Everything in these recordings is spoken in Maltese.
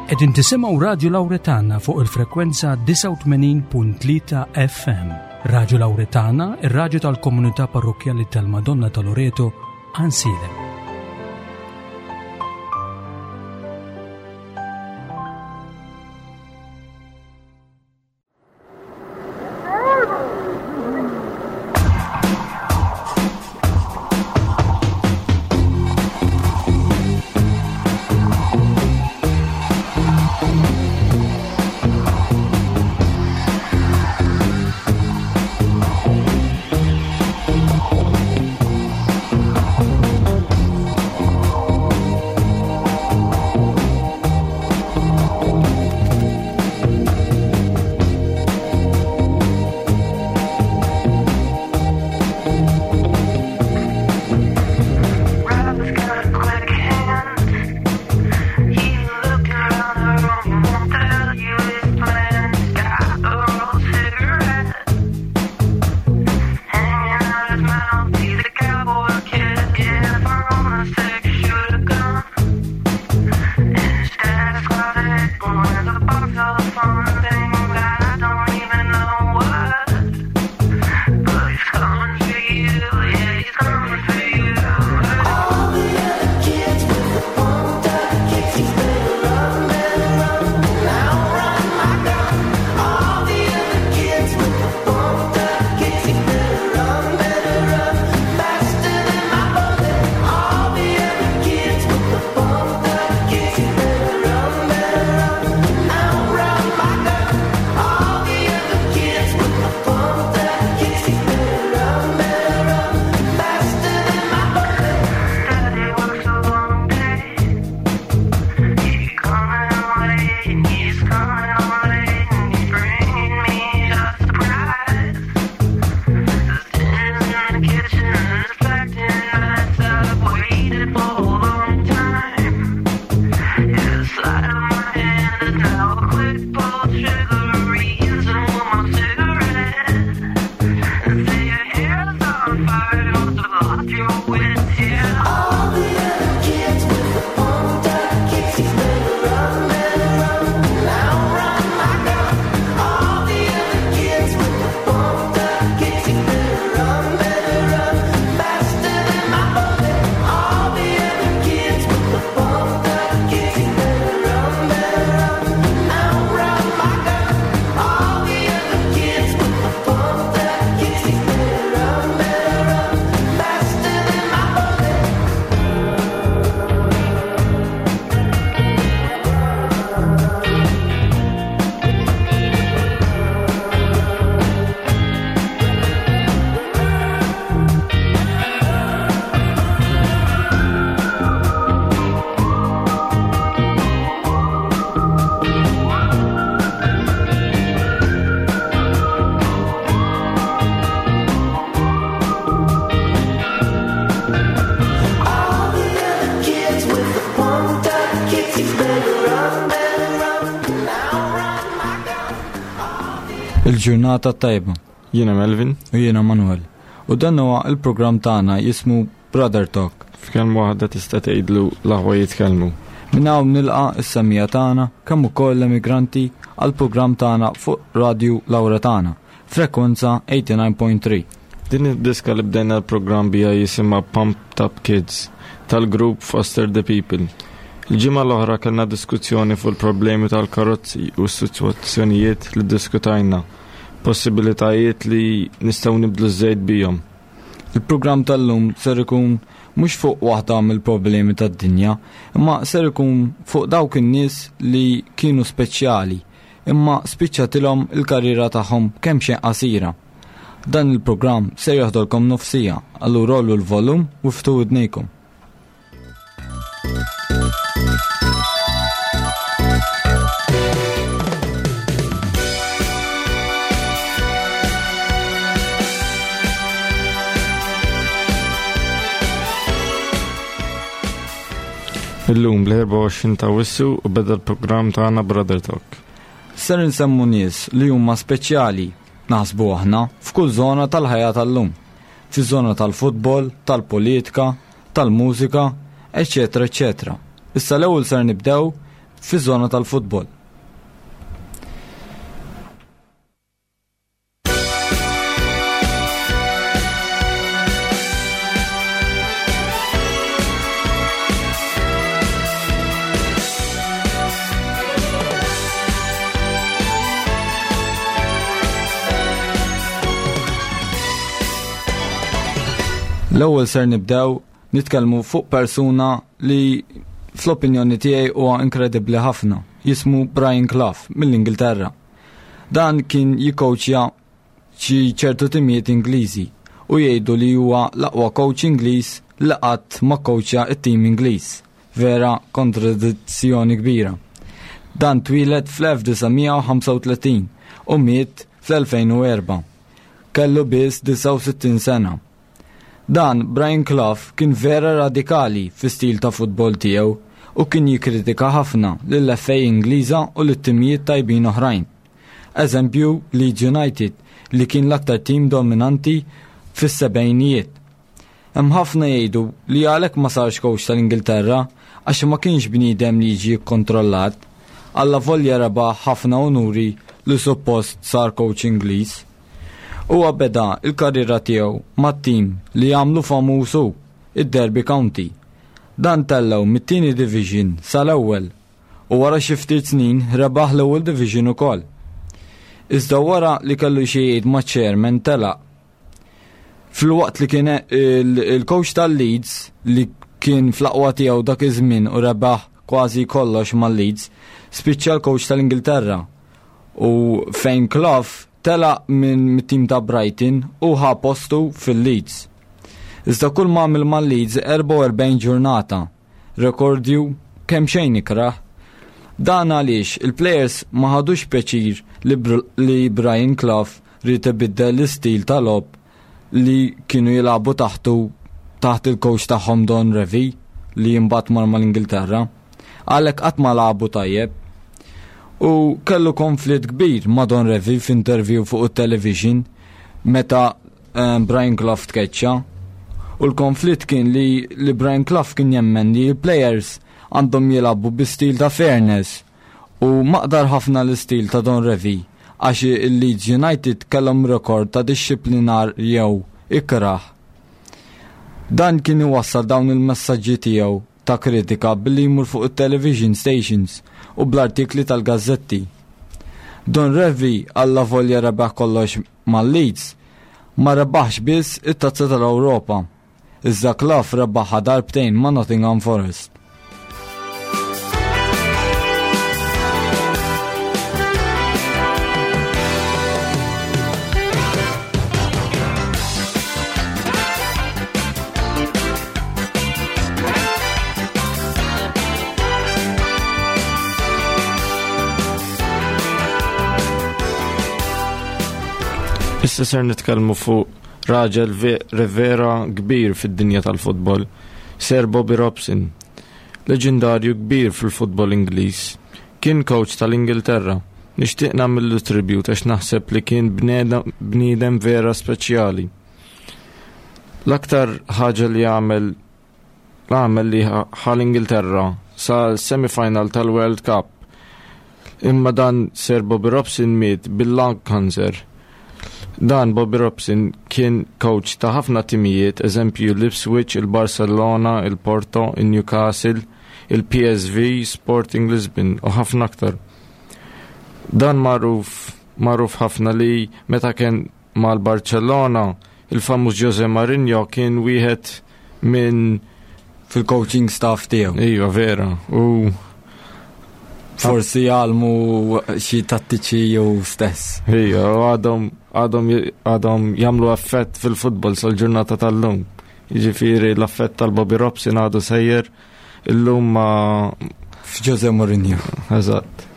Qegħdin tisimgħu Radju Lawretana fuq il-frekwenza 89.3 FM. Radju Lawretana, ir-radju tal-komunità parrokkjali tal-Madonna ta' Loreto, Ansilem. Il-ġurnata tajba. Jiena Melvin. U jiena Manuel. U dan huwa il-programm tagħna jismu Brother Talk. F'kelma waħda tista' tgħidlu l-aħwa jitkellmu. Minn hawn nilqa' s-semija tagħna kemm ukoll l-emigranti għall-programm tagħna fuq Radju Lawretana, frekwenza 89.3. Din id-diska li bdejna l-programm bija jisimha Pumped Up Kids tal-grupp Foster the People. Il-ġimgħa l-oħra kellna diskussjoni fuq il-problemi tal-karozzi u s-sitwazzjonijiet li diskutajna, possibilitajiet li nistgħu nibdlu ż-żejt bihom. Il-programm tal-lum ser ikun mhux fuq waħda mill-problemi tad-dinja, imma ser ikun fuq dawk in-nies li kienu speċjali, imma spiċċatilhom il-karriera tagħhom kemm xejn qasira. Dan il-programm ser joħdolkom nofsija, allura għollu l-volum u ftu widnejkom. Illum bl-24 ta' Wissu u beda l-programm tagħna Brother Talk. Ser insemmu nies li huma speċjali, naħsbu aħna, f'kull żona tal-ħajja tal-lum. Fiż-żona tal-futbol, tal-politika, tal-mużika, eċċetera eċċetera. Issa l-ewwel ser nibdew fiż-żona tal-futbol. L-ewwel ser nibdew nitkellmu fuq persuna li fl-opinjoni tiegħi huwa inkredibbli ħafna, jismu Brian Clough mill-Ingilterra. Dan kien jikkowċja xi ċertu timijiet Ingliżi u jgħidu li huwa l-aqwa coach Ingliż li qatt ma kkowċja t-tim Ingliż. Vera kontradizzjoni kbira. Dan twieled fl-1935 u miet fl-2004. Kellu biss 69 sena. Dan Brian Clough kien vera radikali fi stil ta' futbol tiegħu u kien jikkritika ħafna lill-FA Ingliża u lit-timijiet tajbin oħrajn. Eżempju Leeds United li kien l-aktar tim dominanti fis-sebgħinijiet. Hemm ħafna jgħidu li għalhekk ma sarx coach tal-Ingilterra għax ma kienx bniedem li jiġi kkontrollat. Allavolja rebaħ ħafna unuri li suppost sar coach Ingliż. Huwa beda l-karriera tiegħu mat-tim li għamlu famuż hu, id-Derby County. Dan tellgħu mit-tieni division sal-ewwel u wara xi ftit snin rebaħ l-ewwel division ukoll. Iżda wara li kellu xi jgħid maċ-chairman telaq. Filwaqt li kien il-coach tal-Leeds li kien fl-aqwa tiegħu dak iż-żmien u rebaħ kważi kollox mal-Leeds, spiċċa l-coach tal-Ingilterra u fejn Clough telaq minn mit-tim ta' Brighton u ħa postu fil-Leeds. Iżda kull ma għamel mal-Leeds 44 ġurnata, rekordju kemm xejn ikrah. Dan għaliex il-plejers ma ħadux pjaċir li, li Brian Clough ried ibiddel l-istil ta' logħob li kienu jilagħbu taħtu taħt il-coach tagħhom Don Revie li imbagħad mar mal-Ingilterra. Għalhekk qatt ma lagħbu tajjeb. U kellu konflitt kbir ma' Don Revie f'interview fuq it-television meta eh, Brian Clough tkeċċa. U l-konflitt kien li, li Brian Clough kien jemmen li l-players għandhom jilagħbu bi stil ta' fairness u maqdar ħafna l-istil ta' Don Revie għax il-Leeds United kellhom rekord ta' dixxiplinar jew ikrah. Dan kien iwassal dawn il-messaġġi tiegħu ta' kritika billi jmur fuq it-television stations u bl-artikli tal-gazzetti. Don Revie allavolja rebaħ kollox mal-Leeds, ma rebaħx biss it-Tazza tal-Ewropa. Iżda Clough rebaħha darbtejn ma' Nottingham Forest. Issa ser nitkellmu fuq raġel rivera kbir fid-dinja tal-futbol, Sir Bobby Robson. Leġendarju kbir fil-futbol Ingliż. Kien coach tal-Ingilterra. Nixtieq nagħmillu tribute għax naħseb li kien bniedem vera speċjali. L-aktar ħaġa li għamel għamel li ħa l-Ingilterra sa semifinal tal-World Cup. Imma dan Sir Bobby Robson miet bil-lung cancer. Dan Bobby Robson kien coach ta' ħafna timijiet, eżempju l-Ipswich, il-Barcelona, il-Porto, il-Newcastle, il-PSV, Sporting Lisbon u ħafna aktar. Dan magħruf magħruf ħafna li meta kien mal-Barcellona, il-famuż Jose Mourinho kien wieħed minn fil-coaching staff tiegħu. Iva, vera. U forsi jgħalmu xi tattiċi jew stess. Iva, u għadhom għadhom għadhom jagħmlu effett fil-futbol sal-ġurnata tal-lum. Jiġifieri l-affett tal-Bobby Robson għadu sejjer illum ma F'Jose Mourinho. Eżatt.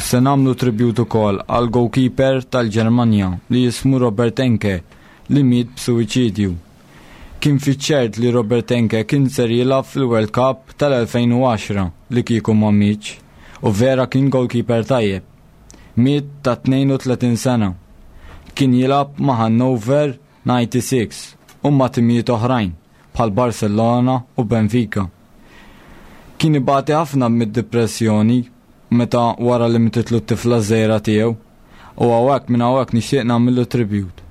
Se nagħmlu tribut ukoll għal goalkeeper tal-Ġermanja li jismu Robert Enke li miet b'suwiċidju. Kien fiċ-ċert li Robert Enke kien ser jilgħab fil-World Cup tal-2010 li kieku ma mietx. u vera kien goalkeeper tajjeb. Miet ta' 32 sena. Kien jilgħab ma' Hannover 96 u ma' timijiet oħrajn bħal Barcelona u Benfica. Kien ibati ħafna mid-depressjoni meta wara li mititlu t-tifla żgħira tiegħu u hawnhekk minn hawnhekk nixtieq nagħmillu tribute.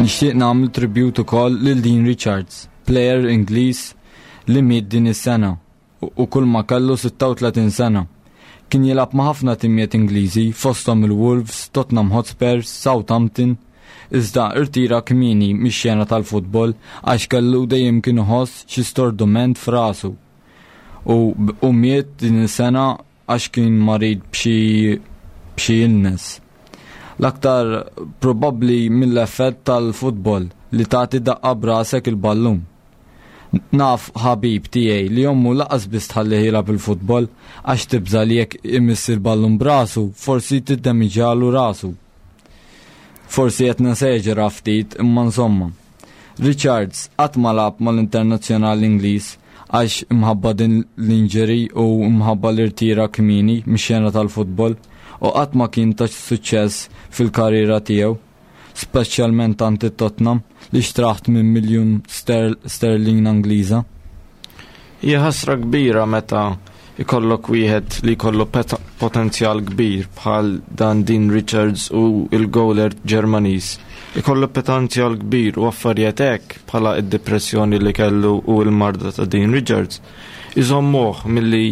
Nixtieq nagħmel tribute ukoll lil Dean Richards, player Ingliż li miet din is-sena u kull ma kellu 36 sena. Kien jilgħab ma' ħafna timijiet Ingliżi fosthom il-Wolves, Tottenham Hotspurs, Southampton, iżda irtira kmieni mix-xena tal-futbol għax kellu dejjem kien iħoss xi stordument f'rasu. U, u miet din is-sena għax kien marid b'xi b'xi illness. L-aktar probabbli mill-effett tal-futbol li tagħti daqqa b'rasek il-ballun. Naf ħabib tiegħi li ommu laqas biss tħallih jilgħab il-futbol għax tibża' li jekk imiss il-ballun b'rasu forsi tiddemiġalu rasu. Forsi qed neseġera ftit imma insomma. Richards qatt ma lagħab mal-internazzjonali Ingliż għax imħabba din l-injury u imħabba l-irtira kmieni mix-xena tal-futbol u qatt ma kien ta' suċċess fil-karriera tiegħu, speċjalment għand it-Tottenham li xtrah 8 miljun sterlin Angliża. Hija ħasra kbira meta ikollok wieħed li jkollu potenzjal kbir bħal dan Dean Richards u il-goaler Ġermaniż. Ikollu potenzjal kbir u affarijiet hekk bħala id-depressjoni li kellu u l-marda ta' Dean Richards. Iżommuh milli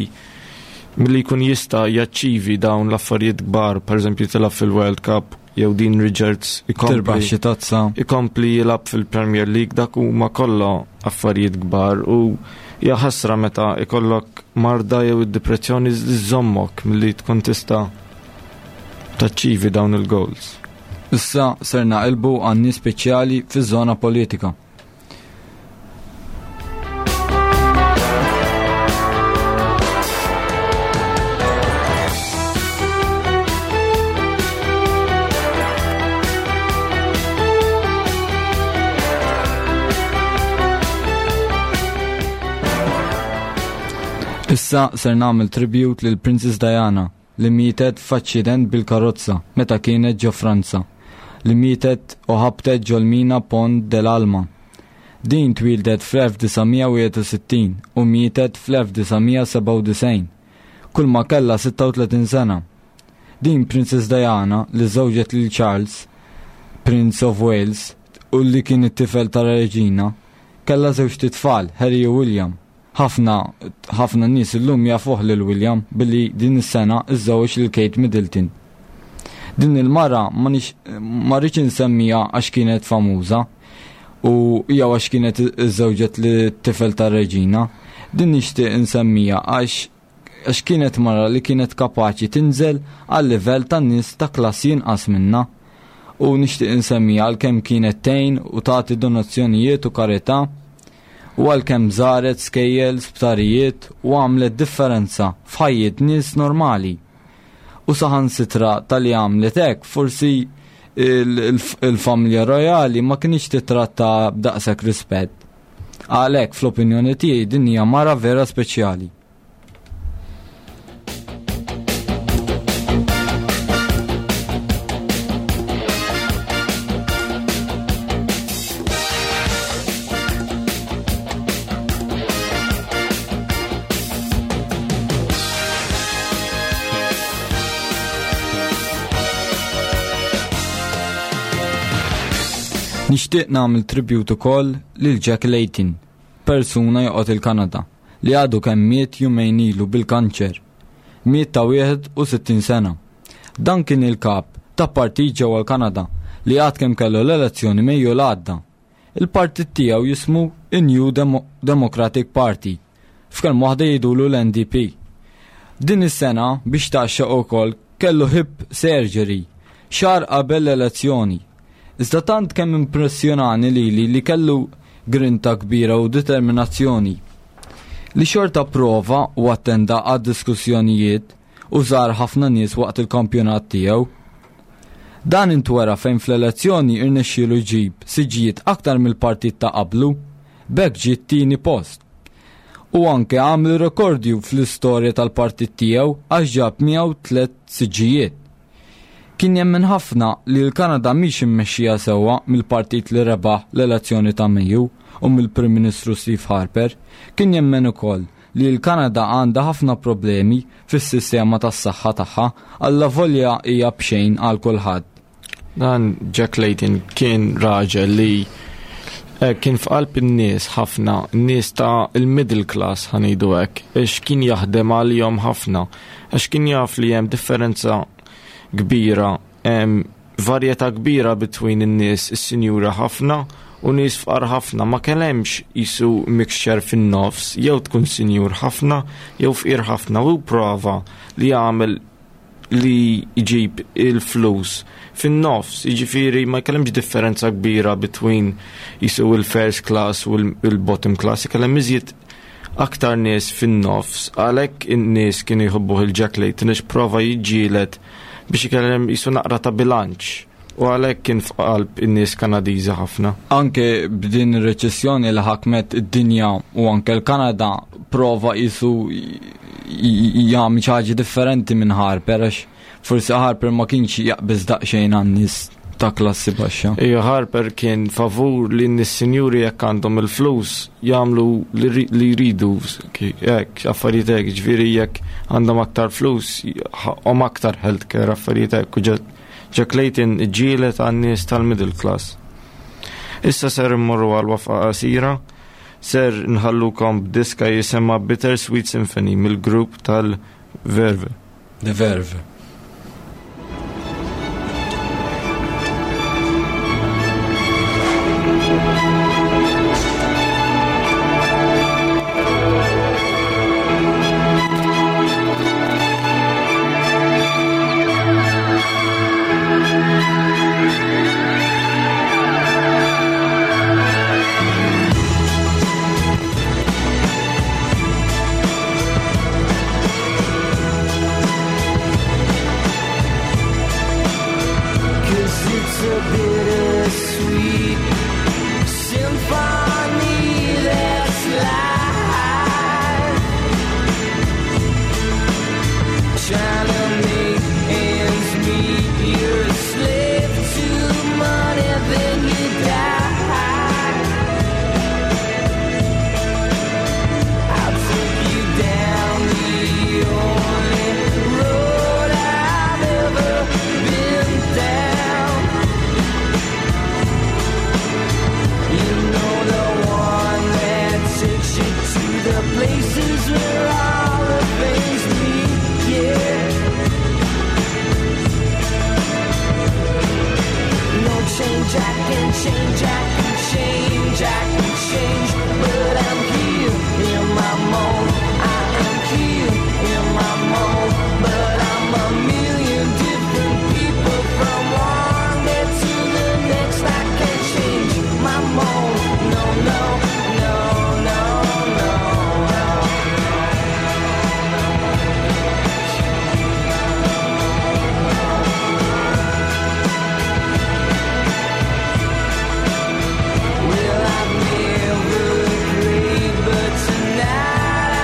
milli jkun jista' jaċċivi dawn l-affarijiet kbar, pereżempju tilgħab fil-World Cup jew Dean Richards ikompli xi tazza. Ikompli jilgħab fil-Premier League dak huma kollha affarijiet kbar u hija ħasra meta ikollok marda jew id-depressjoni żommok milli tkun tista' taċċivi dawn il-goals. Issa ser naqilbu għan nies speċjali fiż-żona politika. Issa ser nagħmel tribute lil Princess Diana li mietet f'aċċident bil-karozza meta kienet ġo Franza, li mietet u ħabtet ġol-mina Pont de l'Alma. Din twieldet fl-1961 u mietet fl-1997, kulma kellha 36 sena. Din Princess Diana li żżewġet lil Charles, Prince of Wales, u li kien it-tifel tar-Reġina, kellha żewġt itfal, Harry u William. Ħafna, ħafna nies illum jafuh lil William billi din is-sena iżżewweġ lil Kate Middleton. Din il-mara ma rridx insemmiha għax kienet famuża u jew għax kienet iżżewġet lit-tifel tar-reġina. Din nixtieq insemmija għax għax kienet mara li kienet kapaċi tinżel għal livell ta' nies ta' klassi inqas minna. U nixtieq insemmija għalkemm kienet tgħin u tagħti donazzjonijiet u karità u għalkemm żaret skejjel, sptarijiet u għamlet differenza f'ħajjiet nies normali. U saħansitra talli għamlet hekk forsi il-familja rojali ma kienx titratta b'daqshekk rispett. Għalhekk fl-opinjoni tiegħi din hija mara vera speċjali. Nixtieq nagħmel tribute ukoll lil Jack Layton, persuna joqgħod il-Kanada. li għadu kemm miet jumejn ilu bil-kanċer. Miet ta' 61 sena. Dan kien il-kap ta' partit ġewwa l-Kanada li għad kemm kellu l-elezzjoni Mejju l-għadda. Il-partit tiegħu jismu in-New Demo Democratic Party. F'kelma waħda jgħidulu l-NDP. Din is-sena biex tgħaxxaq ukoll kellu hip surgery xahar qabel l-elezzjoni. Iżda tant kemm impressjonani lili li kellu grinta kbira u determinazzjoni. Li xorta prova u attenda għad-diskussjonijiet u żar ħafna nies waqt il-kampjonat tiegħu. Dan intwera fejn fl-elezzjoni irnexxielu jġib siġġijiet aktar mill-partit ta' qablu, b'hekk ġie t-tieni post. U anke għamel rekordju fl-istorja tal-partit tiegħu għax ġab miegħu tlett siġġijiet. Kien jemmen ħafna li l-Kanada mhix immexxija sewwa mill-partit li rebaħ l-elezzjoni ta' Mejju u mill-Prim Ministru Steve Harper. Kien jemmen ukoll li l-Kanada għandha ħafna problemi fis-sistema tas-saħħa tagħha allavolja hija b'xejn għal kulħadd. Dan Jack Layton kien raġel li eh, kien f'qalb in-nies ħafna, n-nies ta' il-middle class ħanidu hekk, għax kien jaħdem għalihom ħafna, għax kien jaf li hemm differenza kbira, hemm varjetà kbira between in-nies is-sinjura ħafna u nies fqar ħafna, ma kellemx jisu mixture fin-nofs, jew tkun sinjur ħafna jew fqir ħafna u prova li jagħmel li jġib il-flus fin-nofs, jiġifieri ma jkellimx differenza kbira between jisu il-first class u l-bottom class, ikellem iżjed aktar nies fin-nofs, għalhekk in-nies kienu jħobbuh il-Jack Layton għax prova jiġġieled biex ikellem jisu naqra ta' bilanċ u għalhekk kien f'qalb in-nies Kanadiżi ħafna. Anke b'din ir-reċessjoni li ħakmet id-dinja u anke l-Kanada prova jisu jagħmel xi ħaġa differenti minn Harper għax forsi Harper ma kienx jaqbeż daqsxejn għan-nies ta' klassi baxxa. Ija Harper kien favur li n-nies sinjuri jekk għandhom il-flus jagħmlu li jridu hekk affarijiet hekk, ġifieri jekk għandhom aktar flus ħaqhom aktar healthcare affarijiet hekk u Jack Layton ġielet għan-nies tal-middle class. Issa ser immorru għal wafqa qasira, ser nħallukom b'diska jisimha Bitter Sweet Symphony mill-grupp tal-Verve. The Verve. Well, I've never prayed, but tonight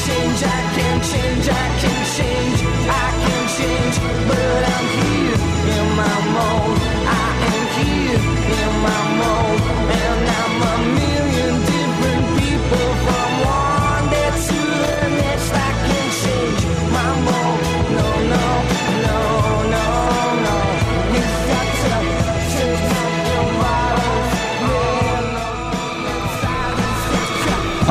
change, I can change, I can change, I can change. But I'm here in my mold. I am here in my mold. And I'm a million different people from one day to the next. I can change my mold. No, no, no, no, no. You got to take up your bottles. No, no,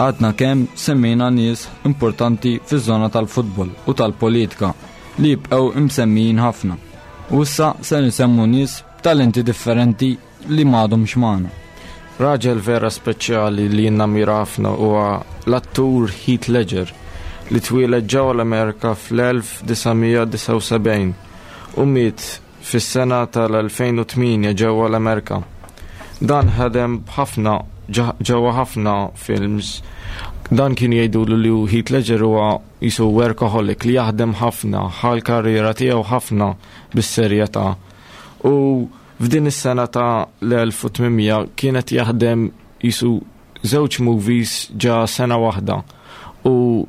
Għadna kemm semmejna nies importanti fiż-żona tal-futbol u tal-politika li jibqgħu imsemmijin ħafna. U issa se nsemmu nies b'talenti differenti li m'għadhomx magħna. Raġel vera speċjali li jinnamira ħafna huwa l-attur Heath Ledger li twieled ġewwa l-Amerika fl-1979 u miet fis-sena tal-2008 ġewwa l-Amerika. Dan ħadem ħafna ġewwa ħafna films. Dan kien jgħidu li Heath Ledger huwa jisu workaholic li jaħdem ħafna, ħa l-karriera tiegħu ħafna bis-serjetà. U f'din is-sena ta' l-1800 kienet jaħdem jisu żewġ movies ġa sena waħda. U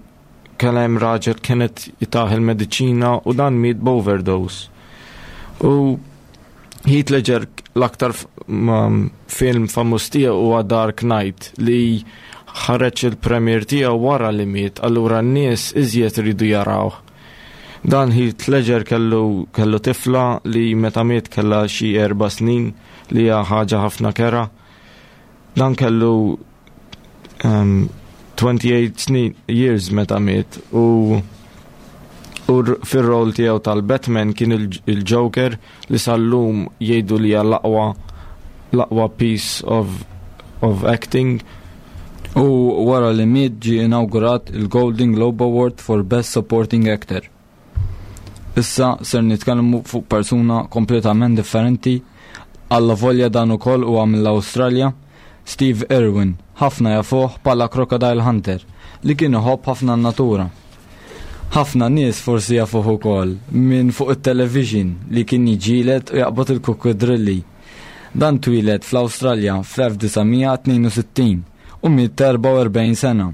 kellem raġel kienet jitah il-mediċina u dan miet b'overdose. U Heath Ledger l-aktar film famuż tiegħu huwa Dark Knight li ħareġ il-premier tiegħu wara li miet, allura n-nies iżjed iridu jarawh. Dan Heath Ledger kellu, kellu tifla li meta miet kellha xi 4 snin li hija ħaġa ħafna kerha. Dan kellu 28 snin years meta miet u fir-rol tiegħu tal-Batman kien il-Joker li sal-lum jgħidu li hija l-aqwa piece of acting. U wara li miet ġie inawgurat il-Golden Globe Award for Best Supporting Actor. Issa ser nitkellmu fuq persuna kompletament differenti alla volja dan ukoll huwa mill-Awstralja, Steve Irwin, ħafna jafuh bħala Crocodile Hunter, li kien iħobb ħafna n-natura. Ħafna nies forsi jafuh ukoll minn fuq it-television li kien jiġġieled u jaqbad il-kukudrilli. Dan twieled fl-Awstralja fl-1962 u miet 44 sena.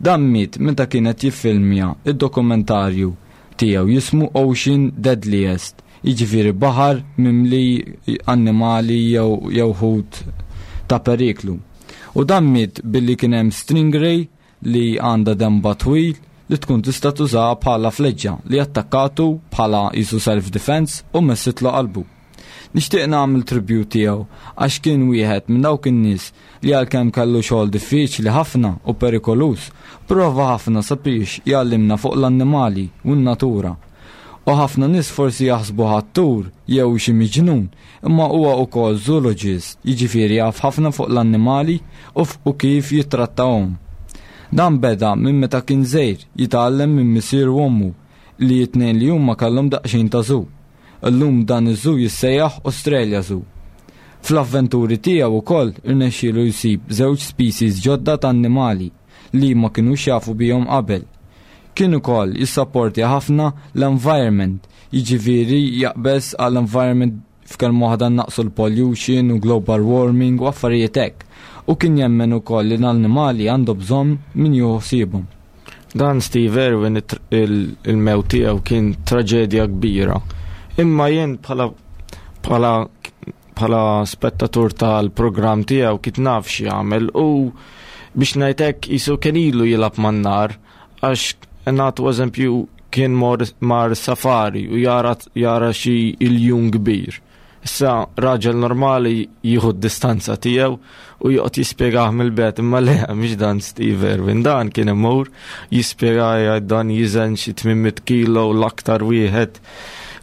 Dan miet meta kienet jiffilmja id-dokumentarju tiegħu jismu Ocean Deadliest, jiġifieri baħar mimli annimali jew ħut ta' periklu. U dan miet billi kien hemm stingray li għandha denba twil li tkun tista' tużaha bħala fleġġa li attakkatu bħala jisu self-defense u messitlu qalbu. Nixtieq nagħmel tribute tiegħu għax kien wieħed minn dawk in-nies li għalkemm kellu xogħol diffiċli ħafna u perikoluż, prova ħafna sabiex jgħallimna fuq l-annimali u n-natura. U ħafna nies forsi jaħsbu attur jew xi miġnun, imma huwa wkoll zoologist, jiġifieri jaf ħafna fuq l-annimali u kif jittrattahom. Dan beda minn meta kien żgħir jitgħallem minn missier u ommu li t-tnejn li huma kellhom daqsxejn ta' zoo. Illum dan iż-zoo jissejjaħ Australia Zoo. Fl-avventuri tiegħu wkoll irnexxielu jsib żewġ species ġodda ta' annimali li ma kinux jafu bihom qabel. Kien ukoll jissapporti ħafna l-environment, jiġifieri jaqbeż għall-environment f'kelma waħda naqsu l-pollution u global warming u affarijiet hekk. U kien jemmen ukoll li l-annimali għandu bżonn min jieħu ħsiebhom. Dan Steve Irwin il-mewt tiegħu kien traġedja kbira. Imma jien bħala spettatur tal-programm tiegħu kif naf x'jagħmel u biex ngħidlek jisu kien ilu jilgħab man-nar għax nagħtu eżempju kien mar safari u jara xi iljun kbir. Issa raġel normali jieħu d-distanza tiegħu u joqgħod jispjegah mill-bogħod, imma le mhix dan Steve Irwin, dan kien imur jispjega jgħid dan jiżen xi 800 kilo l-aktar wieħed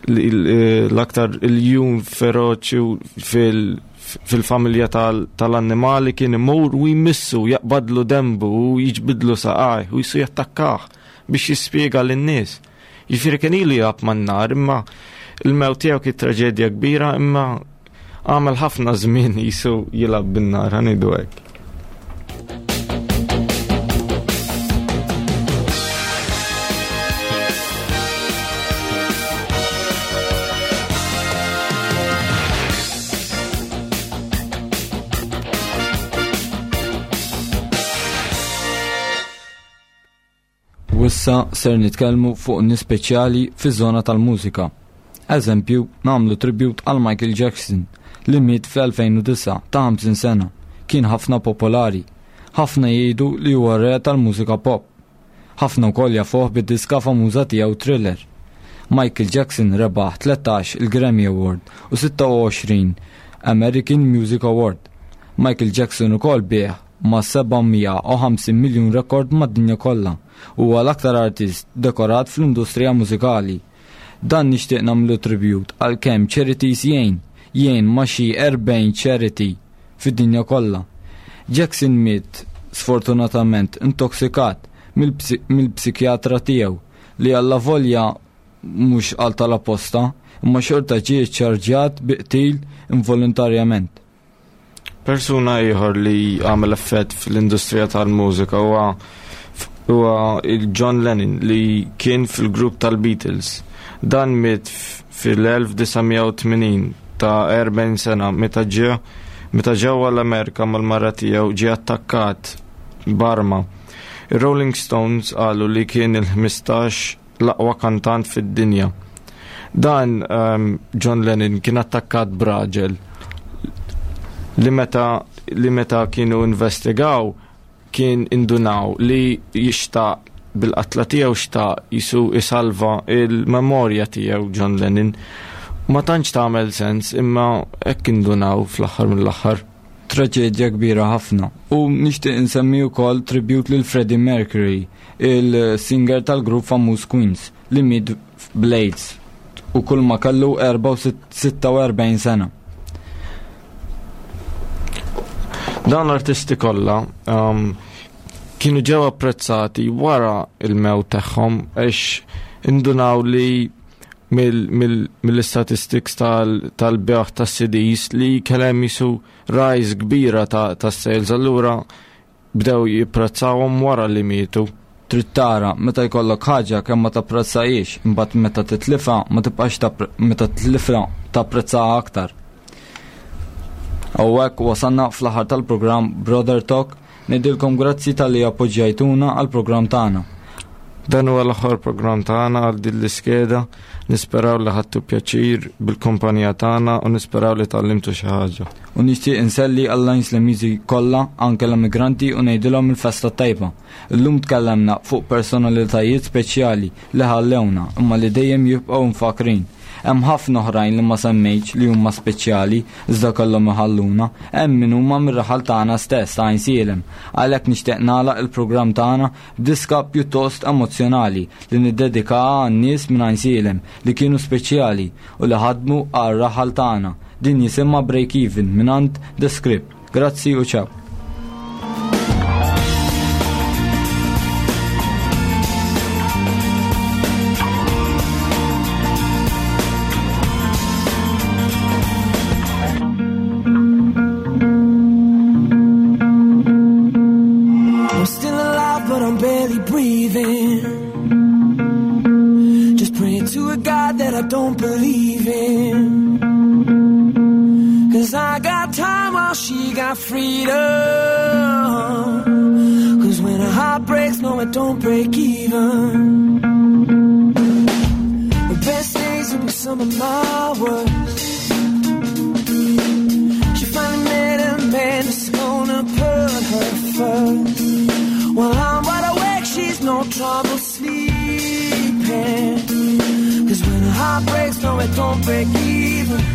l-aktar iljun feroċi fil-familja tal-annimali kien imur u jmissu, jaqbadlu dembu u jiġbidlu saqaj u jisu jattakkah biex jispjega lin-nies. Jiġifieri kien ilu jilgħab man-nar, imma il-mewt tiegħu kien traġedja kbira, imma għamel ħafna żmien jisu jilgħab bin-nar, ħa ngħidu hekk. U issa ser nitkellmu fuq nies speċjali fiż-żona tal-mużika. Eżempju, nagħmlu tribute għal Michael Jackson li miet fl-2009 ta' 50 sena. Kien ħafna popolari. Ħafna jgħidu li huwa re tal-mużika pop. Ħafna wkoll jafuh bid-diska famuża tiegħu Thriller. Michael Jackson rebaħ 13 il-Grammy Award u 26 American Music Award. Michael Jackson ukoll biegħ ma' 750 miljun rekord mad-dinja kollha. Huwa l-aktar artist dekorat fl-industrija mużikali. Dan nixtieq nagħmlu tribute għal kemm charities jgħin, jgħin ma' xi 40 charity fid-dinja kollha. Jackson miet sfortunatament intoxikat mill-psikjatra tiegħu li allavolja mhux għal tal-apposta imma xorta ġie ċċarġjat bi qtil involontarjament. Persuna ieħor li għamel effett fl-industrija tal-mużika huwa huwa il-John Lennon li kien fil-grupp tal-Beatles. Dan miet fil-1980 ta' 40 sena meta ġie meta ġewwa l-Amerika mal-mara tiegħu ġie attakkat b'arma. Ir-Rolling Stones qalu li kien il-15 l-aqwa kantant fid-dinja. Dan um, John Lennon kien attakkat b'raġel li meta li meta kienu investigaw kien indunaw li jixtaq bil-qatla tiegħu xtaq jisu isalva il-memorja tiegħu John Lennon. Ma tantx tagħmel sens imma hekk indunaw fl-aħħar mill-aħħar. Traġedja kbira ħafna. U nixtieq insemmi wkoll tribute lil Freddie Mercury, il-singer tal-grupp famuż Queens, li miet bl-AIDS u kull ma kellu 46 sena. Dawn l-artisti kollha um, kienu ġew apprezzati wara il-mewt tagħhom għax indunaw li mill-statistics tal-beħ tas-CDs li kellem jisu rise kbira ta' sales allura bdew jipprezzawhom wara li mietu. Trid tara, meta jkollok ħaġa kemm ma tapprezzahiex, imbagħad meta titlifha ma tibqax meta titlifha tapprezzaha aktar. Hawnhekk wasalna fl-aħħar tal-programm Brother Talk. Ngħidilkom grazzi talli appoġġjajtuna għall-programm tagħna. Dan huwa l-aħħar programm tagħna għal din l-iskeda. Nisperaw li ħadtu pjaċir bil-kumpanija tagħna u nisperaw li tgħallimtu xi ħaġa. U nixtieq inselli għall-Għajnslemiżi kollha, anke l-emigranti u ngħidilhom il-festa t-tajba. Illum tkellemna fuq personalitajiet speċjali li ħallewna imma li dejjem jibqgħu mfakrin. Hemm ħafna oħrajn li ma semmejtx li huma speċjali iżda kellhom iħalluna. Hemm min huma mir-raħal tagħna stess ta' Għajnsielem. Għalhekk nixtieq nagħlaq il-programm tagħna b'diska pjuttost emozzjonali li niddedikaha għan-nies minn Għajnsielem li kienu speċjali u li ħadmu għar-raħal tagħna. Din jisimha Break Even mingħand The Script. Grazzi u ciao. I'm still alive, but I'm barely breathing. Just praying to a God that I don't believe in. Cause I got time while she got freedom. Cause when a heart breaks, no, it don't break even. The best days will be some of my worst. She finally met a man that's gonna put her first. While I'm wide awake, she's no trouble sleeping. Cause when a heart breaks, no, it don't break even.